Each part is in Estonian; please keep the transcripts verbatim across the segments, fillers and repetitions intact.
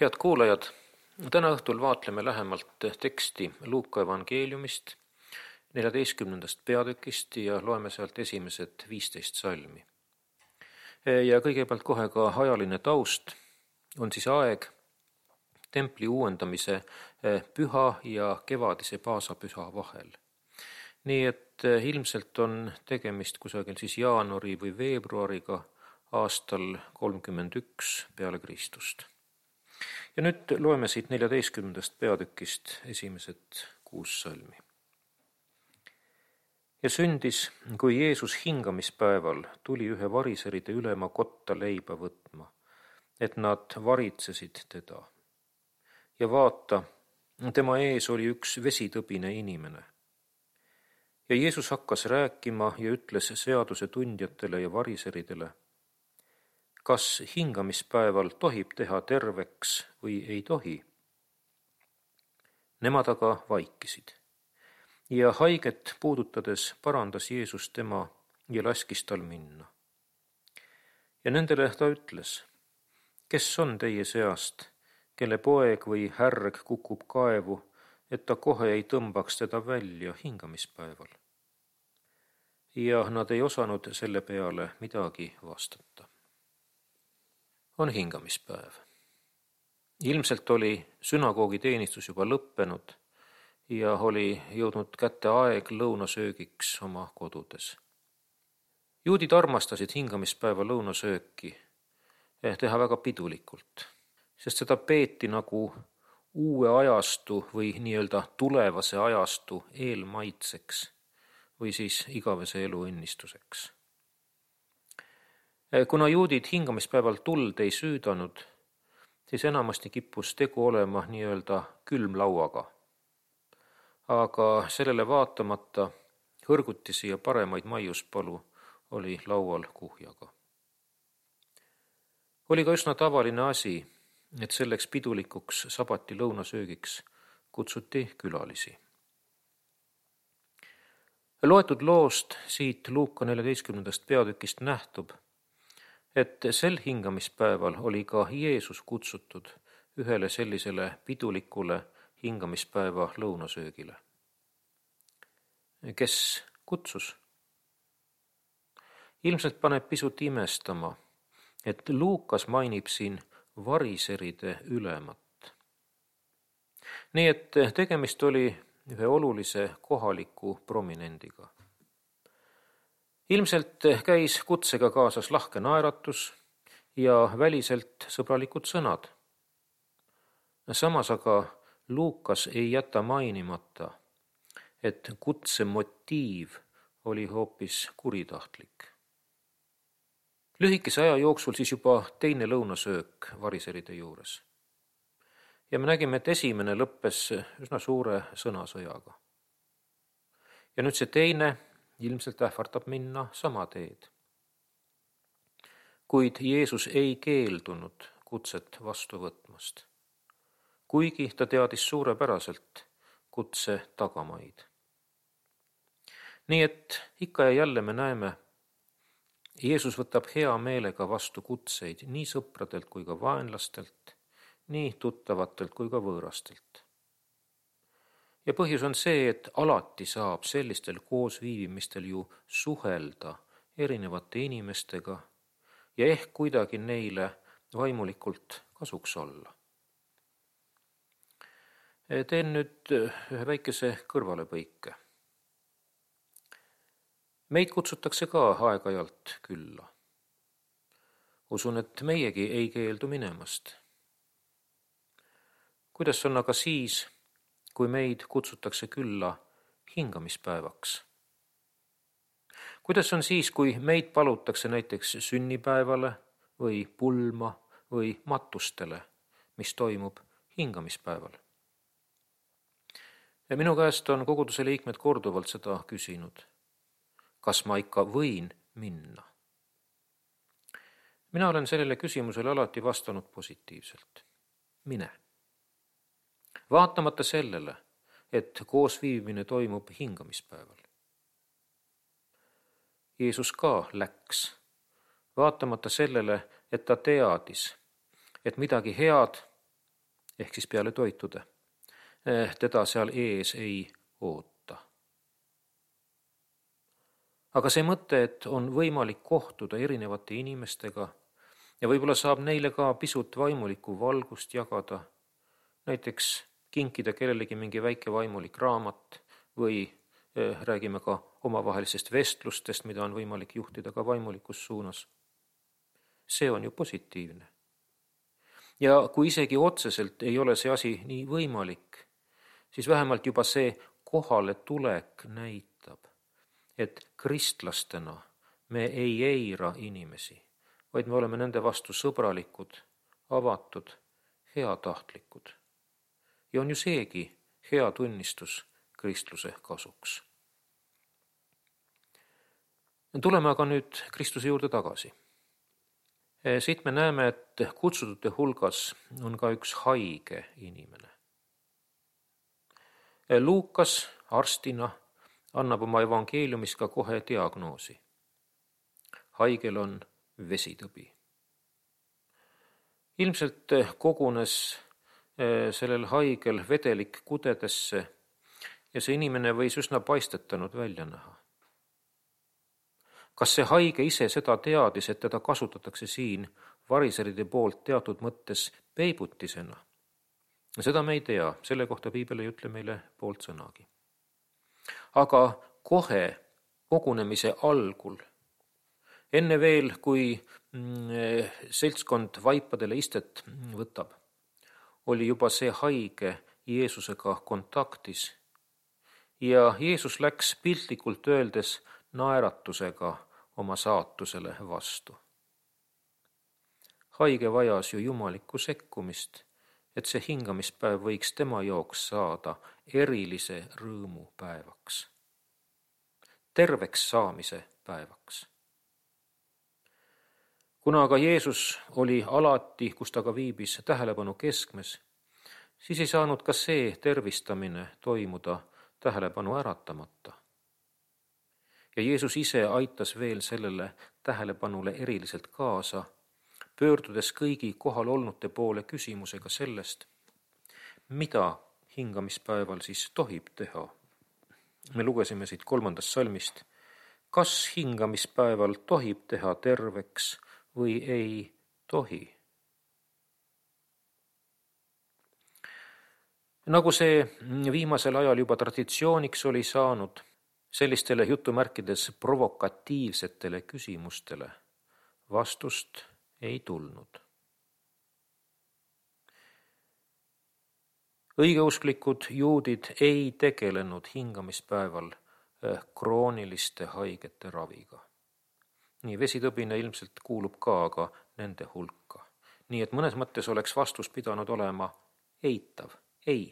Head kuulajad, täna õhtul vaatleme lähemalt teksti Luuka evangeeliumist, neljateistkümnendast peatükist ja loeme sealt esimesed viisteist salmi. Ja kõigepealt kohe ka ajaline taust on siis aeg templi uuendamise püha ja kevadise paasapüha vahel. Nii et ilmselt on tegemist kusagil siis jaanuari või veebruariga aastal kolmkümmend üks peale Kristust. Ja nüüd loeme siit neljateistkümnendast peatükist esimesed kuus salmi. Ja sündis, kui Jeesus hingamispäeval tuli ühe variseride ülema kotta leiba võtma, et nad varitsesid teda. Ja vaata, tema ees oli üks vesitõbine inimene. Ja Jeesus hakkas rääkima ja ütles seaduse tundjatele ja variseridele, kas hingamispäeval tohib teha terveks või ei tohi? Nemad aga vaikisid. Ja haiget puudutades parandas Jeesus tema ja laskis tal minna. Ja nendele ta ütles, kes on teie seast, kelle poeg või härg kukub kaevu, et ta kohe ei tõmbaks teda välja hingamispäeval? Ja nad ei osanud selle peale midagi vastata. On hingamispäev. Ilmselt oli sünagoogi teenistus juba lõppenud ja oli jõudnud kätte aeg lõunasöögiks oma kodudes. Juudid armastasid hingamispäeva lõunasööki teha väga pidulikult, sest seda peeti nagu uue ajastu või nii-öelda tulevase ajastu eelmaitseks või siis igavese elu õnnistuseks. Kuna juudid hingamispäeval tuld ei süüdanud, siis enamasti kippus tegu olema nii-öelda külmlauaga. Aga sellele vaatamata hõrgutisi ja paremaid maiuspalu oli laual kuhjaga. Oli ka üsna tavaline asi, et selleks pidulikuks sabati lõunasöögiks kutsuti külalisi. Loetud loost siit Luuka neljateistkümnendast peatükist nähtub, et sel hingamispäeval oli ka Jeesus kutsutud ühele sellisele pidulikule hingamispäeva lõunasöögile. Kes kutsus? Ilmselt paneb pisut imestama, et Luukas mainib siin variseride ülemat. Nii et tegemist oli ühe olulise kohaliku prominendiga. Ilmselt käis kutsega kaasas lahke naeratus ja väliselt sõbralikud sõnad. Samas aga Luukas ei jäta mainimata, et kutse motiiv oli hoopis kuritahtlik. Lühikese aja jooksul siis juba teine lõunasöök variseride juures. Ja me nägime, et esimene lõppes üsna suure sõnasõjaga. Ja nüüd see teine ilmselt ähvardab minna sama teed. Kuid Jeesus ei keeldunud kutset vastu võtmast, kuigi ta teadis suurepäraselt kutse tagamaid. Nii et ikka ja jälle me näeme, Jeesus võtab hea meelega vastu kutseid nii sõpradelt kui ka vaenlastelt, nii tuttavatelt kui ka võõrastelt. Ja põhjus on see, et alati saab sellistel koosviibimistel ju suhelda erinevate inimestega ja ehk kuidagi neile vaimulikult kasuks olla. Teen nüüd ühe väikese kõrvalepõike. Meid kutsutakse ka aeg-ajalt külla. Usun, et meiegi ei keeldu minemast. Kuidas on aga siis, kui meid kutsutakse külla hingamispäevaks? Kuidas on siis, kui meid palutakse näiteks sünnipäevale või pulma või matustele, mis toimub hingamispäeval? Ja minu käest on koguduse liikmed korduvalt seda küsinud. Kas ma ikka võin minna? Mina olen sellele küsimusele alati vastanud positiivselt. Mine. Vaatamata sellele, et koosviibimine toimub hingamispäeval. Jeesus ka läks, vaatamata sellele, et ta teadis, et midagi head ehk siis peale toitude, teda seal ees ei oota. Aga see mõte, et on võimalik kohtuda erinevate inimestega ja võib-olla saab neile ka pisut vaimulikku valgust jagada, näiteks kinkida kellelegi mingi väike vaimulik raamat või eh, räägime ka omavahelisest vestlustest, mida on võimalik juhtida ka vaimulikus suunas. See on ju positiivne. Ja kui isegi otseselt ei ole see asi nii võimalik, siis vähemalt juba see kohale tulek näitab, et kristlastena me ei eira inimesi, vaid me oleme nende vastu sõbralikud, avatud, heatahtlikud. Ja on ju seegi hea tunnistus kristluse kasuks. Tuleme aga nüüd Kristuse juurde tagasi. Siit me näeme, et kutsutute hulgas on ka üks haige inimene. Luukas arstina annab oma evangeeliumis ka kohe diagnoosi. Haigel on vesitõbi. Ilmselt kogunes sellel haigel vedelik kudedesse ja see inimene võis üsna paistetanud välja näha. Kas see haige ise seda teadis, et teda kasutatakse siin variseride poolt teatud mõttes peibutisena? Seda me ei tea, selle kohta piibel ei ütle meile poolt sõnagi. Aga kohe kogunemise algul, enne veel, kui seltskond vaipadele istet võtab, oli juba see haige Jeesusega kontaktis ja Jeesus läks piltlikult öeldes naeratusega oma saatusele vastu. Haige vajas ju jumalikku sekkumist, et see hingamispäev võiks tema jaoks saada erilise rõõmu päevaks, terveks saamise päevaks. Kuna aga Jeesus oli alati, kus ta ka viibis, tähelepanu keskmes, siis ei saanud ka see tervistamine toimuda tähelepanu äratamata. Ja Jeesus ise aitas veel sellele tähelepanule eriliselt kaasa, pöördudes kõigi kohal olnute poole küsimusega sellest, mida hingamispäeval siis tohib teha. Me lugesime siit kolmandast salmist, kas hingamispäeval tohib teha terveks või ei tohi. Nagu see viimasel ajal juba traditsiooniks oli saanud, sellistele jutumärkides provokatiivsetele küsimustele vastust ei tulnud. Õigeusklikud juudid ei tegelenud hingamispäeval krooniliste haigete raviga. Nii vesitõbine ilmselt kuulub ka aga nende hulka. Nii et mõnes mõttes oleks vastus pidanud olema eitav, ei.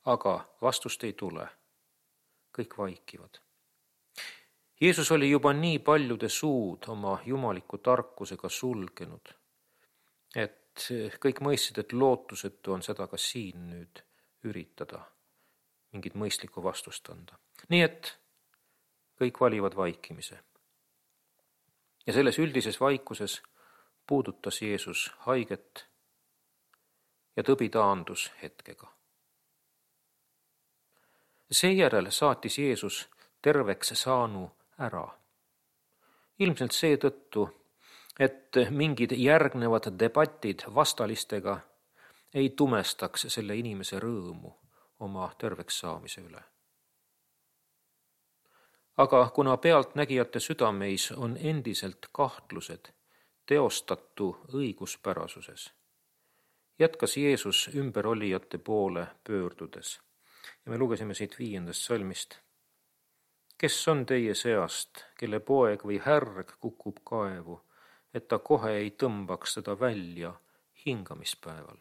Aga vastust ei tule. Kõik vaikivad. Jeesus oli juba nii paljude suud oma jumaliku tarkusega sulgenud, et kõik mõistsid, et lootusetu on seda ka siin nüüd üritada, mingit mõistlikku vastust anda. Nii et kõik valivad vaikimise. Ja selles üldises vaikuses puudutas Jeesus haiget ja tõbi taandus hetkega. Seejärel saatis Jeesus terveks saanu ära. Ilmselt seetõttu, et mingid järgnevad debatid vastalistega ei tumestaks selle inimese rõõmu oma terveks saamise üle. Aga kuna pealtnägijate südameis on endiselt kahtlused teostatu õiguspärasuses, jätkas Jeesus ümberolijate poole pöördudes. Ja me lugesime siit viiendast salmist. Kes on teie seast, kelle poeg või härg kukub kaevu, et ta kohe ei tõmbaks teda välja hingamispäeval?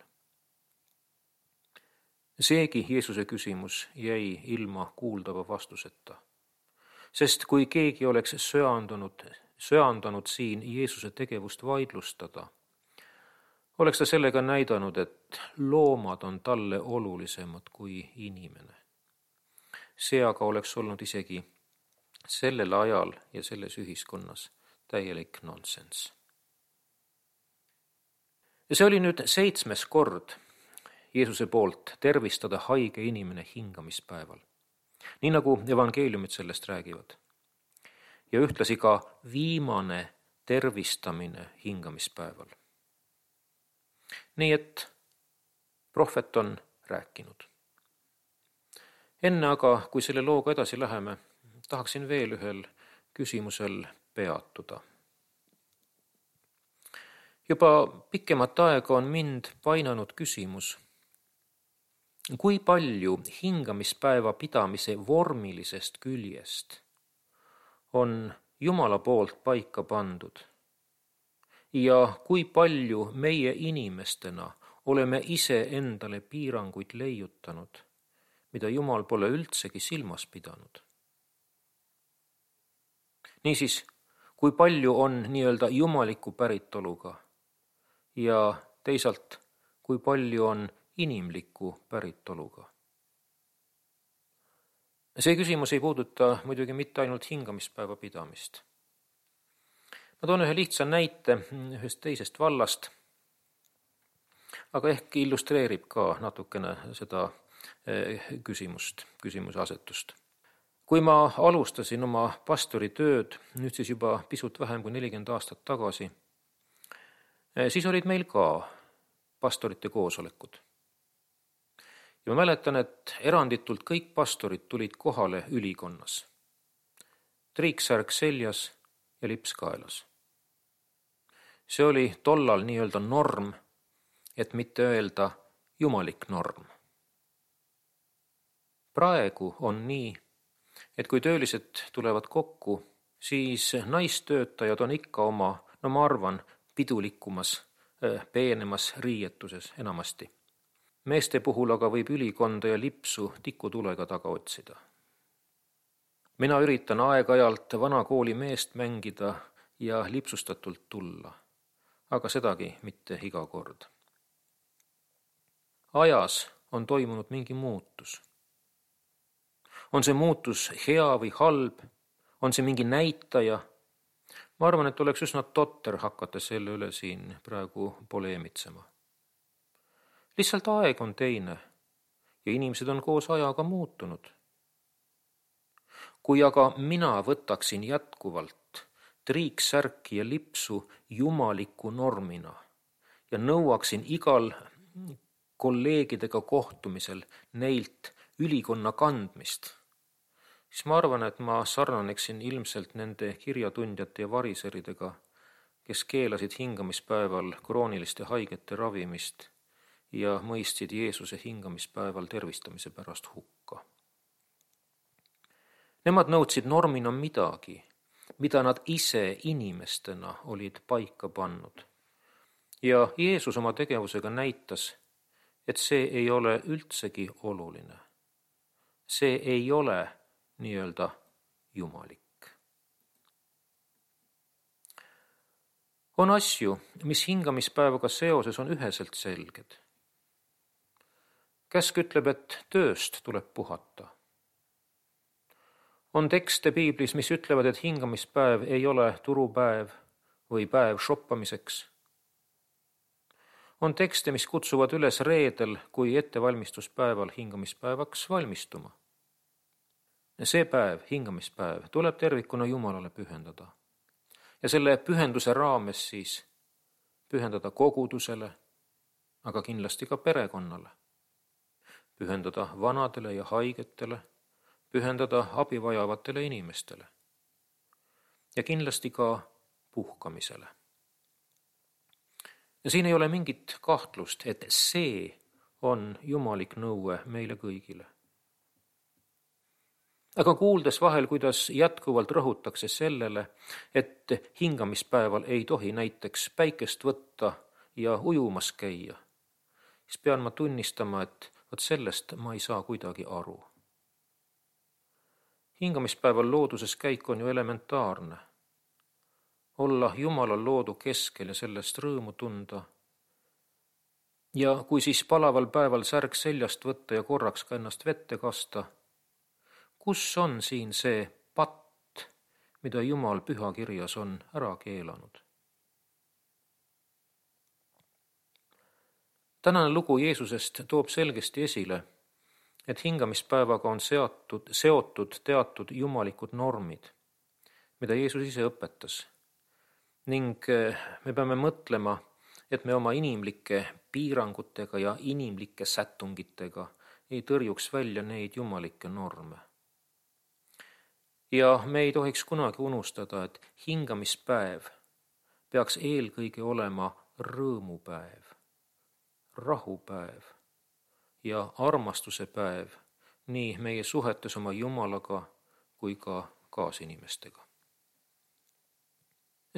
Seegi Jeesuse küsimus jäi ilma kuuldava vastuseta. Sest kui keegi oleks söandunud, söandanud siin Jeesuse tegevust vaidlustada, oleks ta sellega näidanud, et loomad on talle olulisemad kui inimene. See aga oleks olnud isegi sellel ajal ja selles ühiskonnas täielik nonsenss. Ja see oli nüüd seitsmes kord, Jeesuse poolt tervistada haige inimene hingamispäeval. Nii nagu evangeeliumid sellest räägivad. Ja ühtlasi ka viimane tervistamine hingamispäeval. Nii et prohvet on rääkinud. Enne aga, kui selle looga edasi läheme, tahaksin veel ühel küsimusel peatuda. Juba pikemat aega on mind painanud küsimus, kui palju hingamispäeva pidamise vormilisest küljest on Jumala poolt paika pandud ja kui palju meie inimestena oleme ise endale piiranguid leiutanud, mida Jumal pole üldsegi silmas pidanud. Niisiis, kui palju on nii-öelda jumaliku päritoluga ja teisalt, kui palju on inimliku päritoluga. See küsimus ei puuduta muidugi mitte ainult hingamispäeva pidamist. Ma toon ühe lihtsa näite ühest teisest vallast, aga ehk illustreerib ka natukene seda küsimust, küsimuse asetust. Kui ma alustasin oma pastoritööd, nüüd siis juba pisut vähem kui nelikümmend aastat tagasi, siis olid meil ka pastorite koosolekud. Ja ma mäletan, et eranditult kõik pastorid tulid kohale ülikonnas. Triiksärk seljas ja lips kaelas. See oli tollal nii-öelda norm, et mitte öelda jumalik norm. Praegu on nii, et kui töölised tulevad kokku, siis naistöötajad on ikka oma, no ma arvan, pidulikumas, peenemas riietuses enamasti. Meeste puhul aga võib ülikonda ja lipsu tikutulega taga otsida. Mina üritan aeg-ajalt vana kooli meest mängida ja lipsustatult tulla, aga sedagi mitte iga kord. Ajas on toimunud mingi muutus. On see muutus hea või halb? On see mingi näitaja? Ma arvan, et oleks üsna totter hakata selle üle siin praegu poleemitsema. Lihtsalt aeg on teine ja inimesed on koos ajaga muutunud. Kui aga mina võtaksin jätkuvalt triiksärki ja lipsu jumaliku normina ja nõuaksin igal kolleegidega kohtumisel neilt ülikonna kandmist, siis ma arvan, et ma sarnaneksin ilmselt nende kirjatundjate ja variseridega, kes keelasid hingamispäeval krooniliste haigete ravimist ja mõistsid Jeesuse hingamispäeval tervistamise pärast hukka. Nemad nõudsid normina midagi, mida nad ise inimestena olid paika pannud. Ja Jeesus oma tegevusega näitas, et see ei ole üldsegi oluline. See ei ole nii-öelda jumalik. On asju, mis hingamispäevaga seoses on üheselt selged. Käsk ütleb, et tööst tuleb puhata. On tekste piiblis, mis ütlevad, et hingamispäev ei ole turupäev või päev shoppamiseks. On tekste, mis kutsuvad üles reedel kui ettevalmistuspäeval hingamispäevaks valmistuma. See päev, hingamispäev, tuleb tervikuna Jumalale pühendada. Ja selle pühenduse raames siis pühendada kogudusele, aga kindlasti ka perekonnale. Pühendada vanadele ja haigetele, pühendada abivajavatele inimestele. Ja kindlasti ka puhkamisele. Ja siin ei ole mingit kahtlust, et see on jumalik nõue meile kõigile. Aga kuuldes vahel, kuidas jätkuvalt rõhutakse sellele, et hingamispäeval ei tohi näiteks päikest võtta ja ujumas käia, siis pean ma tunnistama, et vot sellest ma ei saa kuidagi aru. Hingamispäeval looduses käik on ju elementaarne. Olla Jumalal loodu keskel ja sellest rõõmu tunda. Ja kui siis palaval päeval särk seljast võtta ja korraks ka ennast vette kasta, kus on siin see patt, mida Jumal pühakirjas on ära keelanud? Tänane lugu Jeesusest toob selgesti esile, et hingamispäevaga on seatud, seotud teatud jumalikud normid, mida Jeesus ise õpetas. Ning me peame mõtlema, et me oma inimlike piirangutega ja inimlike sättungitega ei tõrjuks välja neid jumalikke norme. Ja me ei tohiks kunagi unustada, et hingamispäev peaks eelkõige olema rõõmupäev, rahupäev ja armastuse päev nii meie suhetes oma Jumalaga kui ka kaasinimestega.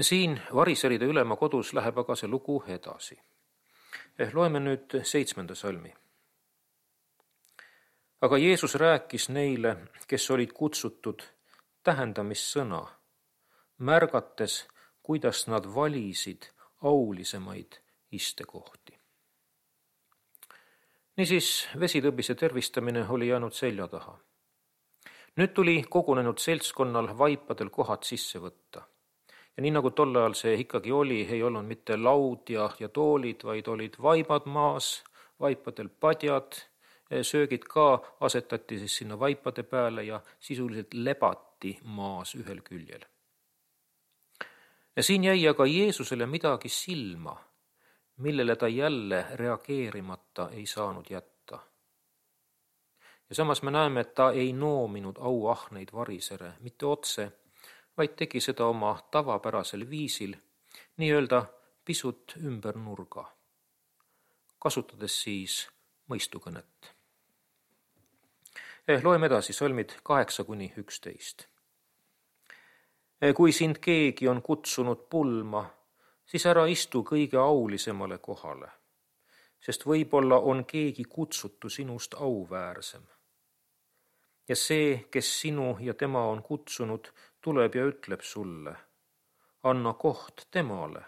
Siin variseride ülema kodus läheb aga see lugu edasi. Loeme nüüd seitsmenda salmi. Aga Jeesus rääkis neile, kes olid kutsutud, tähendamissõna, märgates, kuidas nad valisid aulisemaid istekohti. Niisiis vesitõbise tervistamine oli jäänud selja taha. Nüüd tuli kogunenud seltskonnal vaipadel kohad sisse võtta. Ja nii nagu tol ajal see ikkagi oli, ei olnud mitte laud ja, ja toolid, vaid olid vaibad maas, vaipadel padjad, söögid ka asetati siis sinna vaipade peale ja sisuliselt lebati maas ühel küljel. Ja siin jäi aga Jeesusele midagi silma, millele ta jälle reageerimata ei saanud jätta. Ja samas me näeme, et ta ei noominud auahneid varisere, mitte otse, vaid tegi seda oma tavapärasel viisil, nii-öelda pisut ümber nurga, kasutades siis mõistukõnet. Eh, loeme edasi salmid kaheksa kuni üksteist. Kui sind keegi on kutsunud pulma, siis ära istu kõige aulisemale kohale, sest võib-olla on keegi kutsutu sinust auväärsem. Ja see, kes sinu ja tema on kutsunud, tuleb ja ütleb sulle, anna koht temale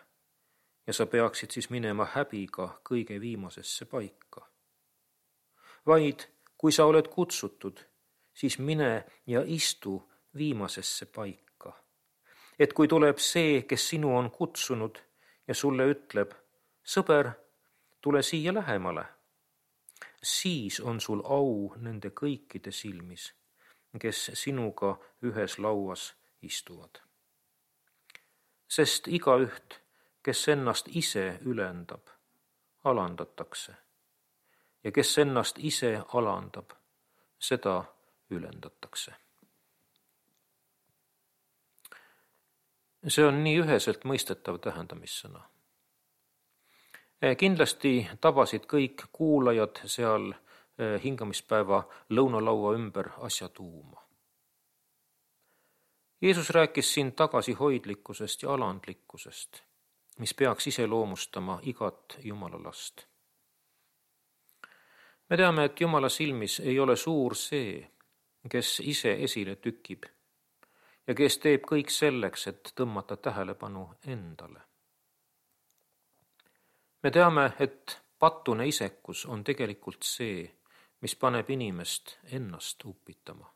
ja sa peaksid siis minema häbiga kõige viimasesse paika. Vaid kui sa oled kutsutud, siis mine ja istu viimasesse paika. Et kui tuleb see, kes sinu on kutsunud ja sulle ütleb, sõber, tule siia lähemale, siis on sul au nende kõikide silmis, kes sinuga ühes lauas istuvad. Sest igaüht, kes ennast ise ülendab, alandatakse. Ja kes ennast ise alandab, seda ülendatakse. See on nii üheselt mõistetav tähendamissõna. Kindlasti tabasid kõik kuulajad seal hingamispäeva lõunalaua ümber asja tuuma. Jeesus rääkis siin tagasihoidlikkusest ja alandlikkusest, mis peaks iseloomustama igat Jumala last. Me teame, et Jumala silmis ei ole suur see, kes ise esile tükib ja kes teeb kõik selleks, et tõmmata tähelepanu endale. Me teame, et patune isekus on tegelikult see, mis paneb inimest ennast upitama.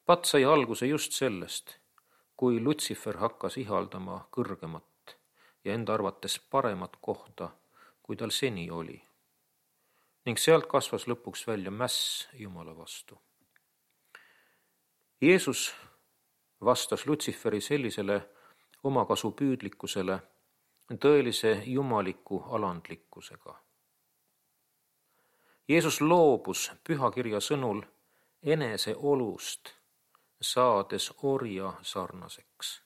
Pat sai alguse just sellest, kui Lutsifer hakkas ihaldama kõrgemat ja enda arvates paremat kohta, kui tal seni oli. Ning sealt kasvas lõpuks välja mäss Jumala vastu. Jeesus vastas Lutsiferi sellisele omakasu püüdlikkusele tõelise jumaliku alandlikkusega. Jeesus loobus pühakirja sõnul enese olust, saades orja sarnaseks.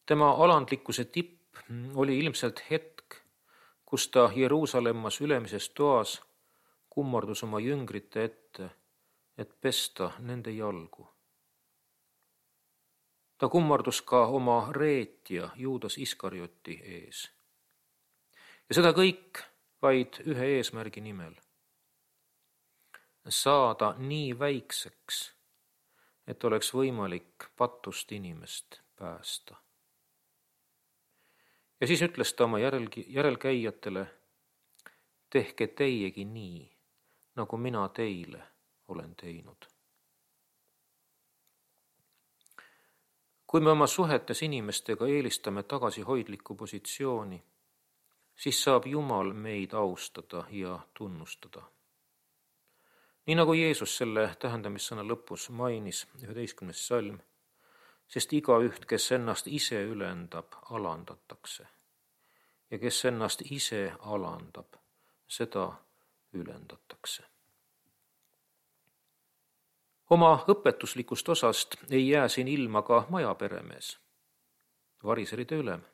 Tema alandlikkuse tipp oli ilmselt hetk, kus ta Jeruusalemmas ülemises toas kummardus oma jüngrite ette, et pesta nende jalgu. Ta kummardus ka oma reetja Juudas Iskarioti ees. Ja seda kõik vaid ühe eesmärgi nimel. Saada nii väikseks, et oleks võimalik patust inimest päästa. Ja siis ütles ta oma järelgi, järelkäijatele, tehke teiegi nii, nagu mina teile olen teinud. Kui me oma suhetes inimestega eelistame tagasihoidlikku positsiooni siis saab Jumal meid austada ja tunnustada. Nii nagu Jeesus selle tähendamissõna lõpus mainis, üheteistkümnes salm, sest igaüht, kes ennast ise ülendab, alandatakse. Ja kes ennast ise alandab, seda ülendatakse. Oma õpetuslikust osast ei jää siin ilma ka majaperemees, variseride ülem.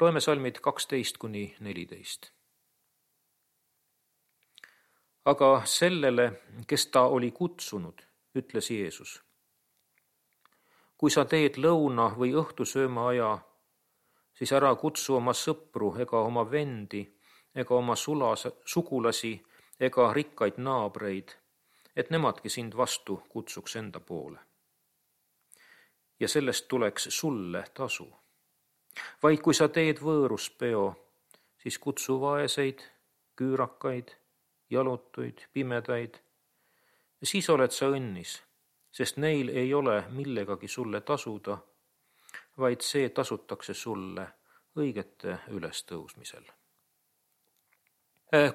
Loeme salmid kaksteist kuni neliteist. Aga sellele, kes ta oli kutsunud, ütles Jeesus: kui sa teed lõuna või õhtusööma aja, siis ära kutsu oma sõpru ega oma vendi ega oma sulas, sugulasi ega rikkaid naabreid, et nemadki sind vastu kutsuks enda poole. Ja sellest tuleks sulle tasu. Vaid kui sa teed võõruspeo, siis kutsu vaeseid, küürakaid, jalutuid, pimedaid. Siis oled sa õnnis, sest neil ei ole millegagi sulle tasuda, vaid see tasutakse sulle õigete ülestõusmisel.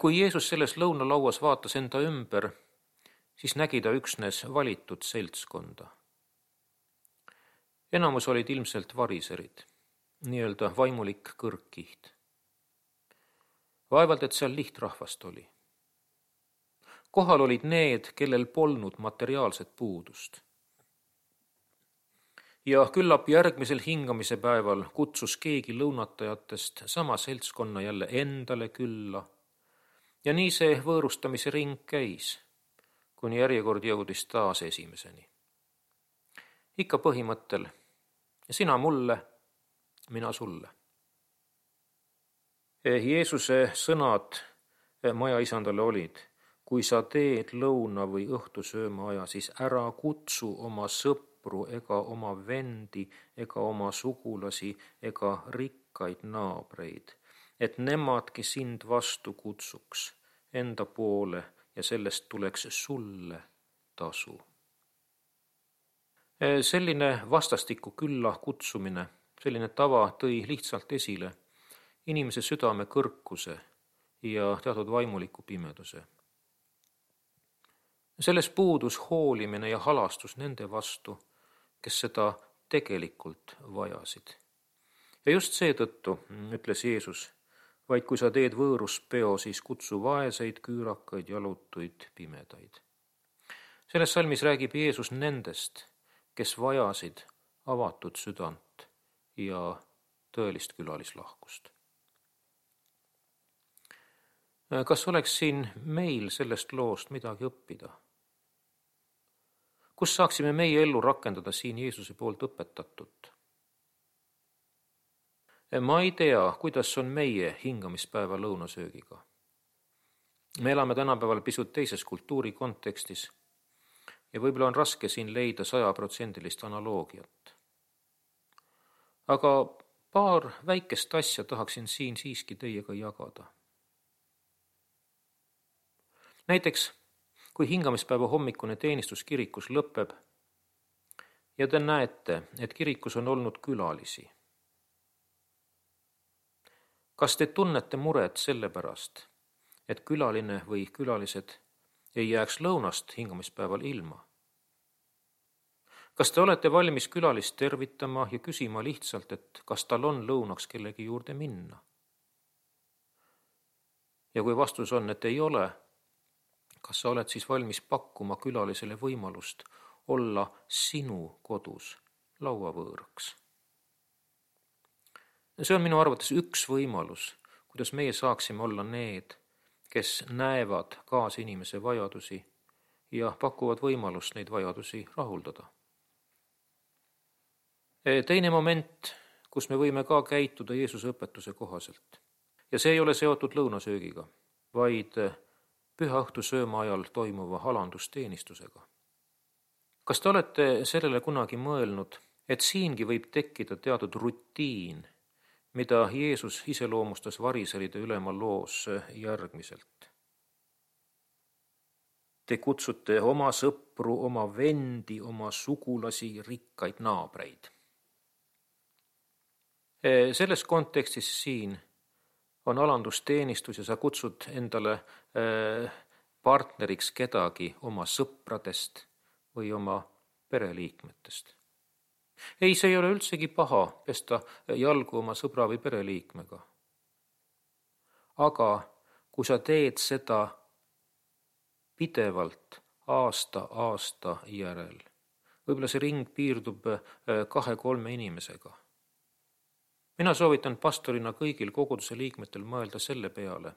Kui Jeesus selles lõunalauas vaatas enda ümber, siis nägi ta üksnes valitud seltskonda. Enamus olid ilmselt variserid, nii-öelda vaimulik kõrgkiht. Vaevalt, et seal lihtrahvast oli. Kohal olid need, kellel polnud materiaalset puudust. Ja küllap järgmisel hingamise päeval kutsus keegi lõunatajatest sama seltskonna jälle endale külla. Ja nii see võõrustamise ring käis, kuni järjekord jõudis taas esimeseni. Ikka põhimõttel, sina mulle, mina sulle. Jeesuse sõnad majaisandale olid: kui sa teed lõuna või õhtusööma aja, siis ära kutsu oma sõpru ega oma vendi ega oma sugulasi ega rikkaid naabreid, et nemadki sind vastu kutsuks enda poole ja sellest tuleks sulle tasu. Selline vastastikku külla kutsumine, selline tava tõi lihtsalt esile inimese südame kõrkuse ja teatud vaimuliku pimeduse. Selles puudus hoolimine ja halastus nende vastu, kes seda tegelikult vajasid. Ja just seetõttu ütles Jeesus: vaid kui sa teed võõruspeo, siis kutsu vaeseid, küürakaid, jalutuid, pimedaid. Selles salmis räägib Jeesus nendest, kes vajasid avatud südant ja tõelist külalislahkust. Kas oleks siin meil sellest loost midagi õppida? Kus saaksime meie ellu rakendada siin Jeesuse poolt õpetatut? Ma ei tea, kuidas on meie hingamispäeva lõunasöögiga. Me elame tänapäeval pisut teises kultuuri kontekstis ja võib-olla on raske siin leida sajaprotsendilist analoogiat. Aga paar väikest asja tahaksin siin siiski teiega jagada. Näiteks, kui hingamispäeva hommikune teenistus kirikus lõpeb ja te näete, et kirikus on olnud külalisi. Kas te tunnete muret selle pärast, et külaline või külalised ei jääks lõunast hingamispäeval ilma? Kas te olete valmis külalist tervitama ja küsima lihtsalt, et kas tal on lõunaks kellegi juurde minna? Ja kui vastus on, et ei ole, kas sa oled siis valmis pakkuma külalisele võimalust olla sinu kodus lauavõõraks? See on minu arvates üks võimalus, kuidas meie saaksime olla need, kes näevad kaasinimese vajadusi ja pakuvad võimalust neid vajadusi rahuldada. Teine moment, kus me võime ka käituda Jeesuse õpetuse kohaselt. Ja see ei ole seotud lõunasöögiga, vaid pühaõhtu sööma ajal toimuva alandusteenistusega. Kas te olete sellele kunagi mõelnud, et siingi võib tekkida teatud rutiin, mida Jeesus iseloomustas variseride ülema loos järgmiselt? Te kutsute oma sõpru, oma vendi, oma sugulasi, rikkaid naabreid. Selles kontekstis siin on alandusteenistus ja sa kutsud endale partneriks kedagi oma sõpradest või oma pereliikmetest. Ei, see ei ole üldsegi paha pesta jalgu oma sõbra või pereliikmega. Aga kui sa teed seda pidevalt aasta aasta järel, võib-olla see ring piirdub kahe-kolme inimesega. Mina soovitan pastorina kõigil koguduse liikmetel mõelda selle peale,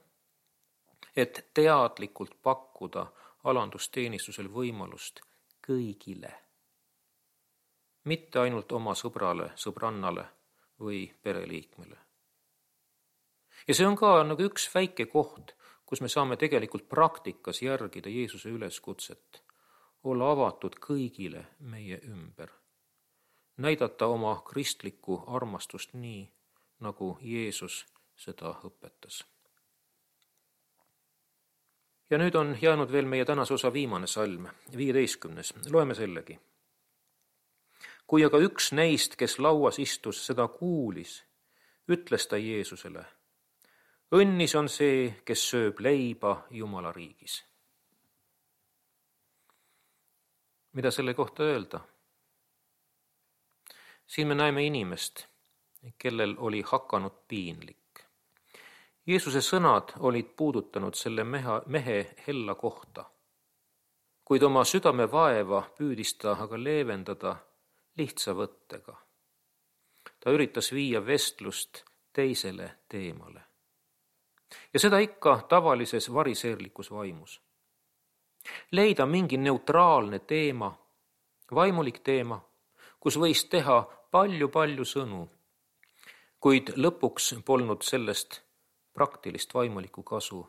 et teadlikult pakkuda alandusteenistusel võimalust kõigile. Mitte ainult oma sõbrale, sõbrannale või pereliikmele. Ja see on ka nagu üks väike koht, kus me saame tegelikult praktikas järgida Jeesuse üleskutset, olla avatud kõigile meie ümber. Näidata oma kristlikku armastust nii, nagu Jeesus seda õpetas. Ja nüüd on jäänud veel meie tänase osa viimane salm, viieteistkümnes. Loeme sellegi. Kui aga üks neist, kes lauas istus, seda kuulis, ütles ta Jeesusele, õnnis on see, kes sööb leiba Jumala riigis. Mida selle kohta öelda? Siin me näeme inimest, kellel oli hakanud piinlik. Jeesuse sõnad olid puudutanud selle meha, mehe hella kohta, kuid oma südame vaeva püüdis ta aga leevendada lihtsa võttega. Ta üritas viia vestlust teisele teemale. Ja seda ikka tavalises variseerlikus vaimus. Leida mingi neutraalne teema, vaimulik teema, kus võis teha palju-palju sõnu, kuid lõpuks polnud sellest praktilist vaimulikku kasu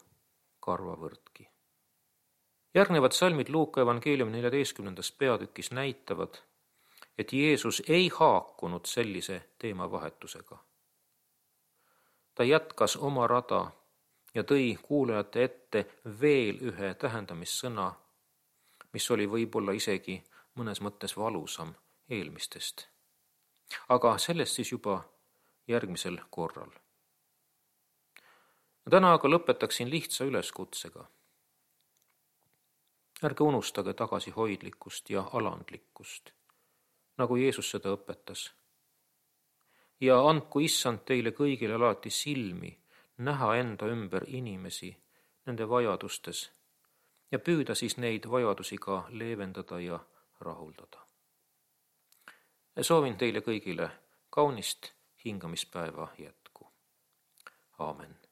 karvavõrdki. Järgnevad salmid Luuka evangeeliumi neljateistkümnendas peatükis näitavad, et Jeesus ei haakunud sellise teemavahetusega. Ta jätkas oma rada ja tõi kuulajate ette veel ühe tähendamissõna, mis oli võib-olla isegi mõnes mõttes valusam eelmistest. Aga sellest siis juba järgmisel korral. Täna aga lõpetaksin lihtsa üleskutsega. Ärge unustage tagasihoidlikkust ja alandlikkust, nagu Jeesus seda õpetas. Ja andku Issand teile kõigile alati silmi näha enda ümber inimesi nende vajadustes ja püüda siis neid vajadusi ka leevendada ja rahuldada. Soovin teile kõigile kaunist hingamispäeva jätku. Aamen.